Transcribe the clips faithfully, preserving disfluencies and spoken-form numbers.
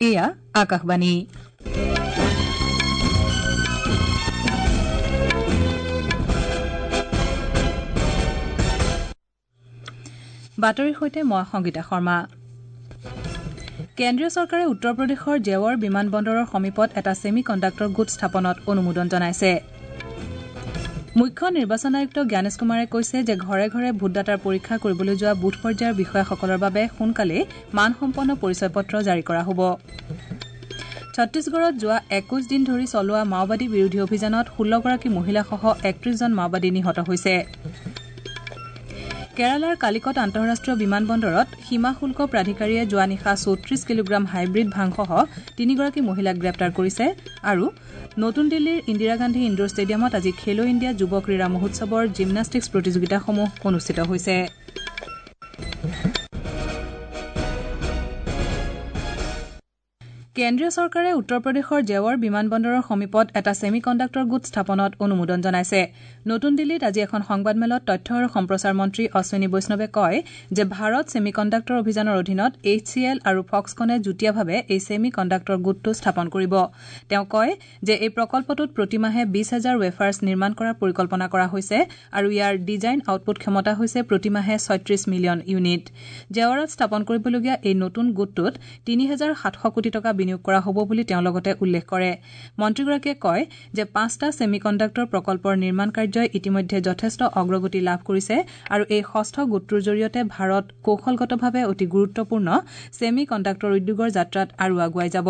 এয়া আকাশবাণী। বাতৰিৰ সৈতে মই সংগীতা শৰ্মা। কেন্দ্ৰীয় চৰকাৰে উত্তৰ প্ৰদেশৰ জেৱৰ বিমান বন্দৰৰ সমীপত এটা ছেমি কণ্ডাক্টৰ গোট স্থাপনত অনুমোদন জনাইছে। মুখ্য নিৰ্বাচন আয়ুক্ত জ্ঞানেশ কুমাৰে কৈছে যে ঘৰে ঘৰে ভোটদাতাৰ পৰীক্ষা কৰিবলৈ যোৱা বুথ পৰ্যায়ৰ বিষয়াসকলৰ বাবে সোনকালেই মানসম্পন্ন পৰিচয় পত্ৰ জাৰি কৰা হ'ব। ছত্তীশগড়ত যোৱা একৈশ দিন ধৰি চলোৱা মাওবাদী বিৰোধী অভিযানত ষোল্লগৰাকী মহিলাসহ একত্ৰিশজন মাওবাদী নিহত হৈছে। কেৰালাৰ কালিকট আন্তঃৰাষ্ট্ৰীয় বিমান বন্দৰত সীমা শুল্ক প্ৰাধিকাৰীয়ে যোৱা নিশা চৌত্ৰিশ কিলোগ্ৰাম হাইব্ৰীড ভাংসহ তিনিগৰাকী মহিলাক গ্ৰেপ্তাৰ কৰিছে। আৰু নতুন দিল্লীৰ ইন্দিৰা গান্ধী ইণ্ডোৰ ষ্টেডিয়ামত আজি খেলো ইণ্ডিয়া যুৱ ক্ৰীড়া মহোৎসৱৰ জিমনাষ্টিক্স প্ৰতিযোগিতাসমূহ অনুষ্ঠিত হৈছে। কেন্দ্ৰীয় চৰকাৰে উত্তৰ প্ৰদেশৰ জেৱৰ বিমান বন্দৰৰ সমীপত এটা ছেমি কণ্ডাক্টৰ গোট স্থাপনত অনুমোদন জনাইছে। নতুন দিল্লীত আজি এখন সংবাদমেলত তথ্য আৰু সম্প্ৰচাৰ মন্ত্ৰী অশ্বিনী বৈষ্ণৱে কয় যে ভাৰত ছেমি কণ্ডাক্টৰ অভিযানৰ অধীনত এইচ চি এল আৰু ফক্সকনে যুটীয়াভাৱে এই ছেমি কণ্ডাক্টৰ গোটটো স্থাপন কৰিব। তেওঁ কয় যে এই প্ৰকল্পটোত প্ৰতিমাহে বিশ হাজাৰ ৱেফাৰ্ছ নিৰ্মাণ কৰাৰ পৰিকল্পনা কৰা হৈছে আৰু ইয়াৰ ডিজাইন আউটপুট ক্ষমতা হৈছে প্ৰতিমাহে ছয়ত্ৰিশ মিলিয়ন ইউনিট। জেৱৰত স্থাপন কৰিবলগীয়া এই নতুন গোটটোত তিনি হাজাৰ সাতশ কোটি টকা বিনিয়োগ কৰা হ'ব বুলি তেওঁ লগতে উল্লেখ কৰে। মন্ত্ৰীগৰাকীয়ে কয় যে পাঁচটা ছেমি কণ্ডাক্টৰ প্ৰকল্পৰ নিৰ্মাণ কাৰ্যই ইতিমধ্যে যথেষ্ট অগ্ৰগতি লাভ কৰিছে আৰু এই ষষ্ঠ গোটটোৰ জৰিয়তে ভাৰত কৌশলগতভাৱে অতি গুৰুত্বপূৰ্ণ ছেমি কণ্ডাক্টৰ উদ্যোগৰ যাত্ৰাত আৰু আগুৱাই যাব।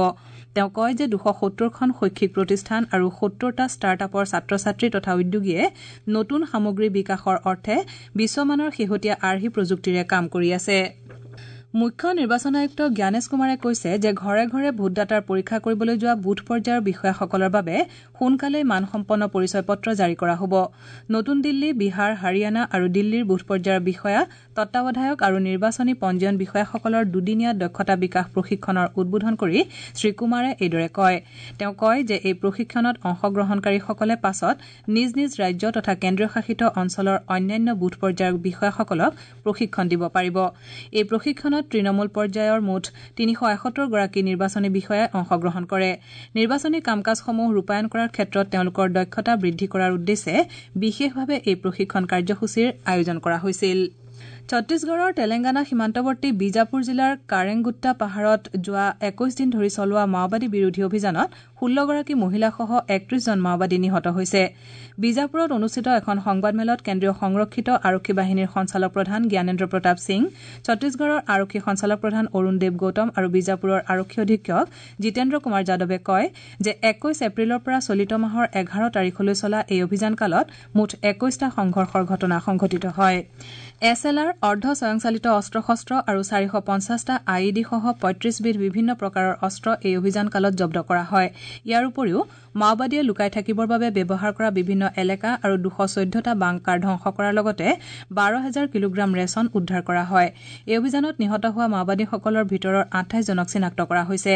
তেওঁ কয় যে দুশ সত্তৰখন শৈক্ষিক প্ৰতিষ্ঠান আৰু সত্তৰটা ষ্টাৰ্ট আপৰ ছাত্ৰ ছাত্ৰী তথা উদ্যোগীয়ে নতুন সামগ্ৰী বিকাশৰ অৰ্থে বিশ্বমানৰ শেহতীয়া আৰ্হি প্ৰযুক্তিৰে কাম কৰি আছে। মুখ্য নিৰ্বাচন আয়ুক্ত জ্ঞানেশ কুমাৰে কৈছে যে ঘৰে ঘৰে ভোটদাতাৰ পৰীক্ষা কৰিবলৈ যোৱা বুথ পৰ্যায়ৰ বিষয়াসকলৰ বাবে সোনকালেই মানসম্পন্ন পৰিচয় পত্ৰ জাৰি কৰা হ'ব। নতুন দিল্লী, বিহাৰ, হাৰিয়ানা আৰু দিল্লীৰ বুথ পৰ্যায়ৰ বিষয়া, তত্বাৱধায়ক আৰু নিৰ্বাচনী পঞ্জীয়ন বিষয়াসকলৰ দুদিনীয়া দক্ষতা বিকাশ প্ৰশিক্ষণৰ উদ্বোধন কৰি শ্ৰীকুমাৰে এইদৰে কয়। তেওঁ কয় যে এই প্ৰশিক্ষণত অংশগ্ৰহণকাৰীসকলে পাছত নিজ নিজ ৰাজ্য তথা কেন্দ্ৰীয় শাসিত অঞ্চলৰ অন্যান্য বুথ পৰ্যায়ৰ বিষয়াসকলক প্ৰশিক্ষণ দিব পাৰিব। এই প্ৰশিক্ষণত তৃণমূল পৰ্যায়ৰ মুঠ তিনিশ এসত্তৰগৰাকী নিৰ্বাচনী বিষয়াই অংশগ্ৰহণ কৰে। নিৰ্বাচনী কাম কাজসমূহ ৰূপায়ণ কৰাৰ ক্ষেত্ৰত তেওঁলোকৰ দক্ষতা বৃদ্ধি কৰাৰ উদ্দেশ্যে বিশেষভাৱে এই প্ৰশিক্ষণ কাৰ্যসূচীৰ আয়োজন কৰা হৈছিল। ছত্তীশগড়ৰ তেলেংগানা সীমান্তৱৰ্তী বিজাপুৰ জিলাৰ কাৰেংগুট্টা পাহাৰত যোৱা একৈশ দিন ধৰি চলোৱা মাওবাদী বিৰোধী অভিযানত ষোল্লগৰাকী মহিলাসহ একত্ৰিশজন মাওবাদী নিহত হৈছে। বিজাপুৰত অনুষ্ঠিত এখন সংবাদমেলত কেন্দ্ৰীয় সংৰক্ষিত আৰক্ষী বাহিনীৰ সঞ্চালক প্ৰধান জ্ঞানেন্দ্ৰ প্ৰতাপ সিং, ছত্তীশগড়ৰ আৰক্ষী সঞ্চালক প্ৰধান অৰুণ দেৱ গৌতম আৰু বিজাপুৰৰ আৰক্ষী অধীক্ষক জিতেন্দ্ৰ কুমাৰ যাদৱে কয় যে একৈশ এপ্ৰিলৰ পৰা চলিত মাহৰ এঘাৰ তাৰিখলৈ চলা এই অভিযানকালত মুঠ একৈশটা সংঘৰ্ষৰ ঘটনা সংঘটিত হয়। এছ এল আৰ, অৰ্ধ স্বয়ংচালিত অস্ত্ৰ শস্ত্ৰ আৰু চাৰিশ পঞ্চাছটা I E ডিসহ পঁয়ত্ৰিশবিধ বিভিন্ন প্ৰকাৰৰ অস্ত্ৰ এই অভিযানকালত জব্দ কৰা হয়। ইয়াৰ উপৰিও মাওবাদীয়ে লুকাই থাকিবৰ বাবে ব্যৱহাৰ কৰা বিভিন্ন এলেকা আৰু দুশ চৈধ্যটা বাংকাৰ ধ্বংস কৰাৰ লগতে বাৰ হাজাৰ কিলোগ্ৰাম ৰেচন উদ্ধাৰ কৰা হয়। এই অভিযানত নিহত হোৱা মাওবাদীসকলৰ ভিতৰৰ আঠাইছজনক চিনাক্ত কৰা হৈছে।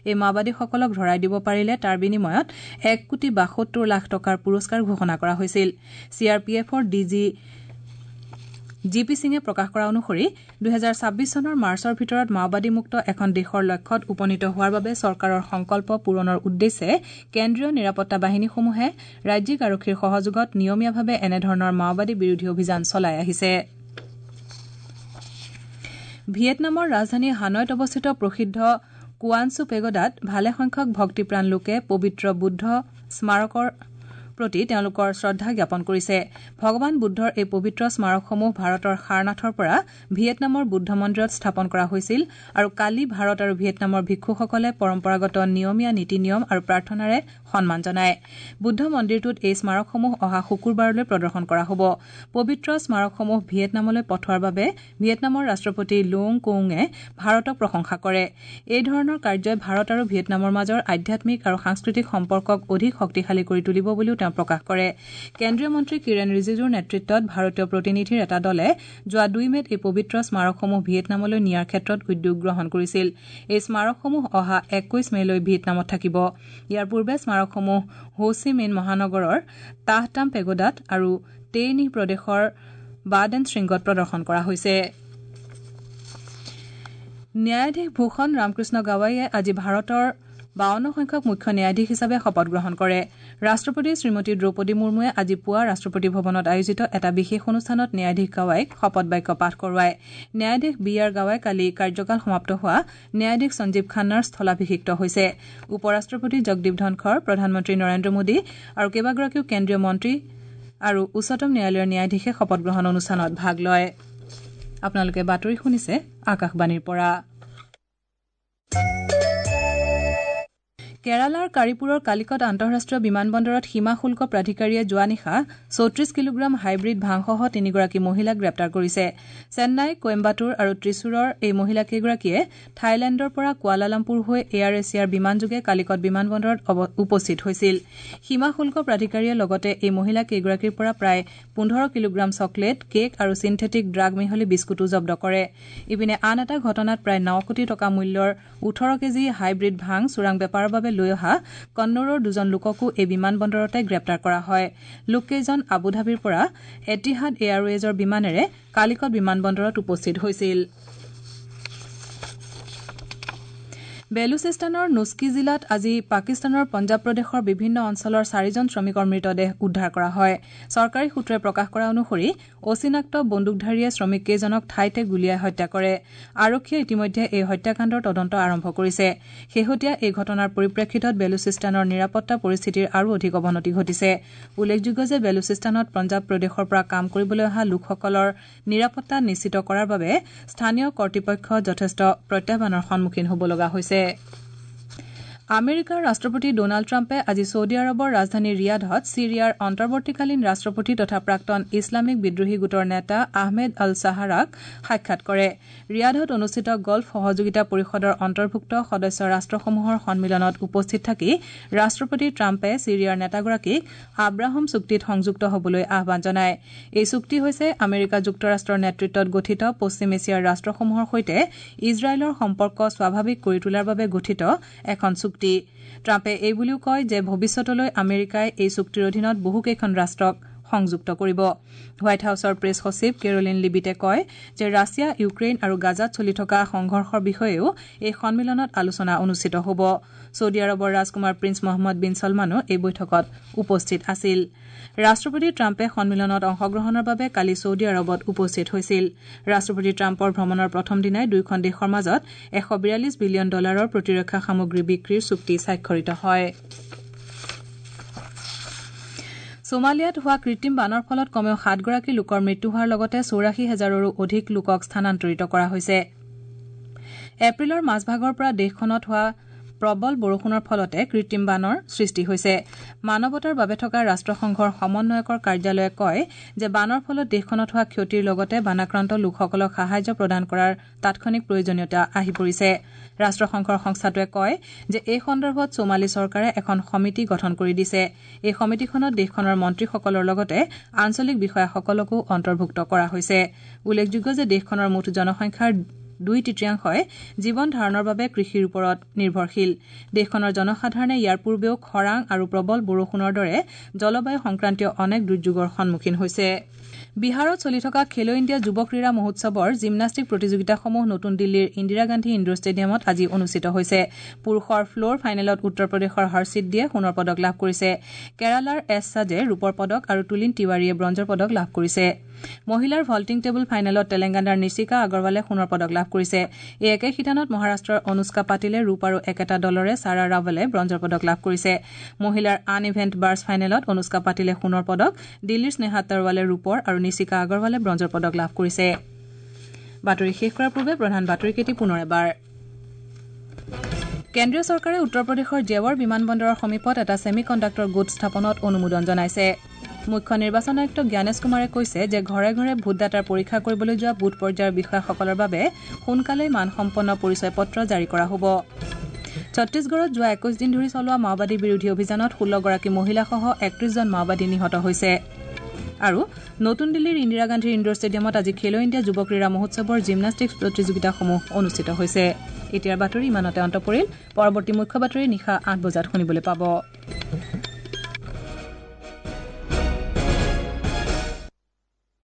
এই মাওবাদীসকলক ধৰাই দিব পাৰিলে তাৰ বিনিময়ত এক কোটি বাসত্তৰ লাখ টকাৰ পুৰস্কাৰ ঘোষণা কৰা হৈছিল। চি আৰ পি এফৰ ডি জি জি পি সিঙে প্ৰকাশ কৰা অনুসৰি দুহেজাৰ ছাব্বিছ চনৰ মাৰ্চৰ ভিতৰত মাওবাদীমুক্ত এখন দেশৰ লক্ষ্যত উপনীত হোৱাৰ বাবে চৰকাৰৰ সংকল্প পূৰণৰ উদ্দেশ্যে কেন্দ্ৰীয় নিৰাপত্তা বাহিনীসমূহে ৰাজ্যিক আৰক্ষীৰ সহযোগত নিয়মীয়াভাৱে এনেধৰণৰ মাওবাদী বিৰোধী অভিযান চলাই আহিছে। ভিয়েটনামৰ ৰাজধানী হানয়ত অৱস্থিত প্ৰসিদ্ধ কুৱানচু পেগোডাত ভালেসংখ্যক ভক্তিপ্ৰাণ লোকে পবিত্ৰ বুদ্ধ স্মাৰকৰ প্ৰতি তেওঁলোকৰ শ্ৰদ্ধা জ্ঞাপন কৰিছে। ভগৱান বুদ্ধৰ এই পবিত্ৰ স্মাৰকসমূহ ভাৰতৰ সাৰনাথৰ পৰা ভিয়েটনামৰ বুদ্ধ মন্দিৰত স্থাপন কৰা হৈছিল আৰু কালি ভাৰত আৰু ভিয়েটনামৰ ভিক্ষুসকলে পৰম্পৰাগত নিয়মীয়া নীতি নিয়ম আৰু প্ৰাৰ্থনাৰে সন্মান জনায়। বুদ্ধ মন্দিৰটোত এই স্মাৰকসমূহ অহা শুকুৰবাৰলৈ প্ৰদৰ্শন কৰা হ'ব। পবিত্ৰ স্মাৰকসমূহ ভিয়েটনামলৈ পঠোৱাৰ বাবে ভিয়েটনামৰ ৰাষ্ট্ৰপতি লুং কুঙে ভাৰতক প্ৰশংসা কৰে। এই ধৰণৰ কাৰ্যই ভাৰত আৰু ভিয়েটনামৰ মাজৰ আধ্যাত্মিক আৰু সাংস্কৃতিক সম্পৰ্কক অধিক শক্তিশালী কৰি তুলিব বুলিও তেওঁ প্ৰকাশ কৰে। কেন্দ্ৰীয় মন্ত্ৰী কিৰেণ ৰিজিজুৰ নেতৃত্বত ভাৰতীয় প্ৰতিনিধিৰ এটা দলে যোৱা দুই মেত এই পবিত্ৰ স্মাৰকসমূহ ভিয়েটনামলৈ নিয়াৰ ক্ষেত্ৰত উদ্যোগ গ্ৰহণ কৰিছিল। এই স্মাৰকসমূহ অহা একৈশ মে'লৈ ভিয়েটনামত থাকিব। ইয়াৰ পূৰ্বে স্মাৰকসমূহ হো চি মিন মহানগৰৰ তাহ তাম পেগোডাত আৰু টেই নিহ প্ৰদেশৰ বাডেন শৃংগত প্ৰদৰ্শন কৰা হৈছে। ন্যায়াধীশ ভূষণ ৰামকৃষ্ণ গাৱাইয়ে আজি ভাৰতৰ বাৱন্ন সংখ্যক মুখ্য ন্যায়াধীশ হিচাপে শপত গ্ৰহণ কৰে। ৰাষ্ট্ৰপতি শ্ৰীমতী দ্ৰৌপদী মুৰ্মুৱে আজি পুৱা ৰাষ্ট্ৰপতি ভৱনত আয়োজিত এটা বিশেষ অনুষ্ঠানত ন্যায়াধীশ গাৱাইক শপত বাক্য পাঠ কৰোৱায়। ন্যায়াধীশ বি আৰ গাৱাই কালি কাৰ্যকাল সমাপ্ত হোৱা ন্যায়াধীশ সঞ্জীৱ খান্নাৰ স্থলাভিষিক্ত হৈছে। উপ ৰাষ্ট্ৰপতি জগদীপ ধনখৰ, প্ৰধানমন্ত্ৰী নৰেন্দ্ৰ মোদী আৰু কেইবাগৰাকীও কেন্দ্ৰীয় মন্ত্ৰী আৰু উচ্চতম ন্যায়ালয়ৰ ন্যায়াধীশে শপত গ্ৰহণ অনুষ্ঠানত ভাগ লয়। আপোনালোকে বাতৰি শুনিছে আকাশবাণীৰ পৰা। কেৰালাৰ কাৰিপুৰৰ কালিকট আন্তঃৰাষ্ট্ৰীয় বিমানবন্দৰত সীমা শুল্ক প্ৰাধিকাৰীয়ে যোৱা নিশা চৌত্ৰিশ কিলোগ্ৰাম হাইব্ৰিড ভাংসহ তিনিগৰাকী মহিলাক গ্ৰেপ্তাৰ কৰিছে। চেন্নাই, কোয়েম্বাটুৰ আৰু ত্ৰিচুৰৰ এই মহিলাকেইগৰাকীয়ে থাইলেণ্ডৰ পৰা কুৱালালামপুৰ হৈ এয়াৰ এছিয়াৰ বিমানযোগে কালিকট বিমানবন্দৰত উপস্থিত হৈছিল। সীমা শুল্ক প্ৰাধিকাৰীয়ে লগতে এই মহিলাকেইগৰাকীৰ পৰা প্ৰায় পোন্ধৰ কিলোগ্ৰাম চকলেট, কেক আৰু চিন্থেটিক ড্ৰাগ মিহলি বিস্কুটো জব্দ কৰে। ইপিনে আন এটা ঘটনাত প্ৰায় ন কোটি টকা মূল্যৰ ওঠৰ কেজি হাইব্ৰিড ভাং চোৰাং বেপাৰৰ বাবে লৈ অহা কন্নড়ৰ দুজন লোককো এই বিমানবন্দৰতে গ্ৰেপ্তাৰ কৰা হয়। লোককেইজন আবুধাবিৰ পৰা এটিহাদ এয়াৰৱেজৰ বিমানেৰে কালিকট বিমানবন্দৰত উপস্থিত হৈছিল। বেলুচিস্তানৰ নুস্কি জিলাত আজি পাকিস্তানৰ পঞ্জাৱ প্ৰদেশৰ বিভিন্ন অঞ্চলৰ চাৰিজন শ্ৰমিকৰ মৃতদেহ উদ্ধাৰ কৰা হয়। চৰকাৰী সূত্ৰই প্ৰকাশ কৰা অনুসৰি অচিনাক্ত বন্দুকধাৰীয়ে শ্ৰমিককেইজনক ঠাইতে গুলীয়াই হত্যা কৰে। আৰক্ষীয়ে ইতিমধ্যে এই হত্যাকাণ্ডৰ তদন্ত আৰম্ভ কৰিছে। শেহতীয়া এই ঘটনাৰ পৰিপ্ৰেক্ষিতত বেলুচিস্তানৰ নিৰাপত্তা পৰিস্থিতিৰ আৰু অধিক অৱনতি ঘটিছে। উল্লেখযোগ্য যে বেলুচিস্তানত পঞ্জাৱ প্ৰদেশৰ পৰা কাম কৰিবলৈ অহা লোকসকলৰ নিৰাপত্তা নিশ্চিত কৰাৰ বাবে স্থানীয় কৰ্তৃপক্ষ যথেষ্ট প্ৰত্যাহ্বানৰ সন্মুখীন হ'ব লগা হৈছে। আমেৰিকাৰ ৰাষ্ট্ৰপতি ডনাল্ড ট্ৰাম্পে আজি ছৌদি আৰৱৰ ৰাজধানী ৰিয়াধত ছিৰিয়াৰ অন্তৰ্বৰ্তীকালীন ৰাষ্ট্ৰপতি তথা প্ৰাক্তন ইছলামিক বিদ্ৰোহী গোটৰ নেতা আহমেদ আল চাহাৰাক সাক্ষাৎ কৰে। ৰিয়াধত অনুষ্ঠিত গল্ফ সহযোগিতা পৰিষদৰ অন্তৰ্ভুক্ত সদস্য ৰাষ্ট্ৰসমূহৰ সন্মিলনত উপস্থিত থাকি ৰাষ্ট্ৰপতি ট্ৰাম্পে ছিৰিয়াৰ নেতাগৰাকীক আব্ৰাহম চুক্তিত সংযুক্ত হ'বলৈ আহ্বান জনায়। এই চুক্তি হৈছে আমেৰিকা যুক্তৰাষ্ট্ৰৰ নেতৃত্বত গঠিত পশ্চিম এছিয়াৰ ৰাষ্ট্ৰসমূহৰ সৈতে ইজৰাইলৰ সম্পৰ্ক স্বাভাৱিক কৰি তোলাৰ বাবে গঠিত এখন চুক্তি। ট্ৰাম্পে এই বুলিও কয় যে ভৱিষ্যতলৈ আমেৰিকাই এই চুক্তিৰ অধীনত বহুকেইখন ৰাষ্ট্ৰক সংযুক্ত কৰিব। হোৱাইট হাউছৰ প্ৰেছ সচিব কেৰোলিন লিবিটে কয় যে ৰাছিয়া, ইউক্ৰেইন আৰু গাজাত চলি থকা সংঘৰ্ষৰ বিষয়েও এই সন্মিলনত আলোচনা অনুষ্ঠিত হ'ব। ছৌদি আৰৱৰ ৰাজকুমাৰ প্ৰিন্স মহম্মদ বিন ছলমানো এই বৈঠকত উপস্থিত আছিল। ৰাষ্ট্ৰপতি ট্ৰাম্পে সন্মিলনত অংশগ্ৰহণৰ বাবে কালি ছৌদি আৰৱত উপস্থিত হৈছিল। ৰাষ্ট্ৰপতি ট্ৰাম্পৰ ভ্ৰমণৰ প্ৰথম দিনাই দুয়োখন দেশৰ মাজত এশ বিয়াল্লিছ বিলিয়ন ডলাৰৰ প্ৰতিৰক্ষা সামগ্ৰী বিক্ৰীৰ চুক্তি স্বাক্ষৰিত হয়। ছোমালিয়াত হোৱা কৃত্ৰিম বানৰ ফলত কমেও সাতগৰাকী লোকৰ মৃত্যু হোৱাৰ লগতে চৌৰাশী হাজাৰৰো অধিক লোকক স্থানান্তৰিত কৰা হৈছে। এপ্ৰিলৰ মাজভাগৰ পৰা দেশখনত হোৱা প্ৰবল বৰষুণৰ ফলতে কৃত্ৰিম বানৰ সৃষ্টি হৈছে। মানৱতাৰ বাবে থকা ৰাষ্ট্ৰসংঘৰ সমন্বয়কৰ কাৰ্যালয়ে কয় যে বানৰ ফলত দেশখনত হোৱা ক্ষতিৰ লগতে বানাক্ৰান্ত লোকসকলক সাহায্য প্ৰদান কৰাৰ তাৎক্ষণিক প্ৰয়োজনীয়তা আহি পৰিছে। ৰাষ্ট্ৰসংঘৰ সংস্থাটোৱে কয় যে এই সন্দৰ্ভত ছোমালি চৰকাৰে এখন সমিতি গঠন কৰি দিছে। এই সমিতিখনত দেশখনৰ মন্ত্ৰীসকলৰ লগতে আঞ্চলিক বিষয়াসকলকো অন্তৰ্ভুক্ত কৰা হৈছে। উল্লেখযোগ্য যে দেশখনৰ মুঠ জনসংখ্যাৰ দুই তৃতীয়াংশই জীৱন ধাৰণৰ বাবে কৃষিৰ ওপৰত নিৰ্ভৰশীল। দেশখনৰ জনসাধাৰণে ইয়াৰ পূৰ্বেও খৰাং আৰু প্ৰবল বৰষুণৰ দৰে জলবায়ু সংক্ৰান্তীয় অনেক দুৰ্যোগৰ সন্মুখীন হৈছে। বিহাৰত চলি থকা খেলো ইণ্ডিয়া যুৱ ক্ৰীড়া মহোৎসৱৰ জিমনাষ্টিক প্ৰতিযোগিতাসমূহ নতুন দিল্লীৰ ইন্দিৰা গান্ধী ইণ্ডোৰ ষ্টেডিয়ামত আজি অনুষ্ঠিত হৈছে। পুৰুষৰ ফ্ল'ৰ ফাইনেলত উত্তৰ প্ৰদেশৰ হৰ্ষিত দিয়ে সোণৰ পদক লাভ কৰিছে। কেৰালাৰ এছ সাজে ৰূপৰ পদক আৰু তুলিন তিৱাৰীয়ে ব্ৰঞ্জৰ পদক লাভ কৰিছে। মহিলাৰ ভল্টিং টেবুল ফাইনেলত তেলেংগানাৰ নিশিকা আগৰৱালে সোণৰ পদক লাভ কৰিছে। এই একে শিতানত মহাৰাষ্ট্ৰৰ অনুষ্কা পাটিলে ৰূপ আৰু একেটা দলৰে ছাৰা ৰাৱলে ব্ৰঞ্জৰ পদক লাভ কৰিছে। মহিলাৰ আন ইভেণ্ট বাৰ্ছ ফাইনেলত অনুষ্কা পাটিলে সোণৰ পদক, দিল্লীৰ স্নেহা তৰৱালে ৰূপৰ আৰু নিশিকা আগৰৱালে ব্ৰঞ্জৰ পদক লাভ কৰিছে। বাতৰি শেষ কৰাৰ পূৰ্বে প্ৰধান বাতৰিকেইটি পুনৰ এবাৰ। কেন্দ্ৰীয় চৰকাৰে উত্তৰ প্ৰদেশৰ জেৱাৰ বিমানবন্দৰৰ সমীপত এটা ছেমি কণ্ডাক্টৰ গোট স্থাপনত অনুমোদন জনাইছে। মুখ্য নিৰ্বাচন আয়ুক্ত জ্ঞানেশ কুমাৰে কৈছে যে ঘৰে ঘৰে ভোটদাতাৰ পৰীক্ষা কৰিবলৈ যোৱা বুথ পৰ্যায়ৰ বিষয়াসকলৰ বাবে সোনকালেই মানসম্পন্ন পৰিচয় পত্ৰ জাৰি কৰা হ'ব। ছত্তীশগড়ত যোৱা একৈশ দিন ধৰি চলোৱা মাওবাদী বিৰোধী অভিযানত ষোল্লগৰাকী মহিলাসহ একত্ৰিশজন মাওবাদী নিহত হৈছে। আৰু নতুন দিল্লীৰ ইন্দিৰা গান্ধী ইণ্ডোৰ ষ্টেডিয়ামত আজি খেলো ইণ্ডিয়া যুৱ ক্ৰীড়া মহোৎসৱৰ জিমনাষ্টিক্স প্ৰতিযোগিতাসমূহ অনুষ্ঠিত হৈছে। এতিয়াৰ বাতৰি ইমানতে অন্ত পৰিল। পৰৱৰ্তী মুখ্য বাতৰি নিশা আঠ বজাত শুনিবলৈ পাব।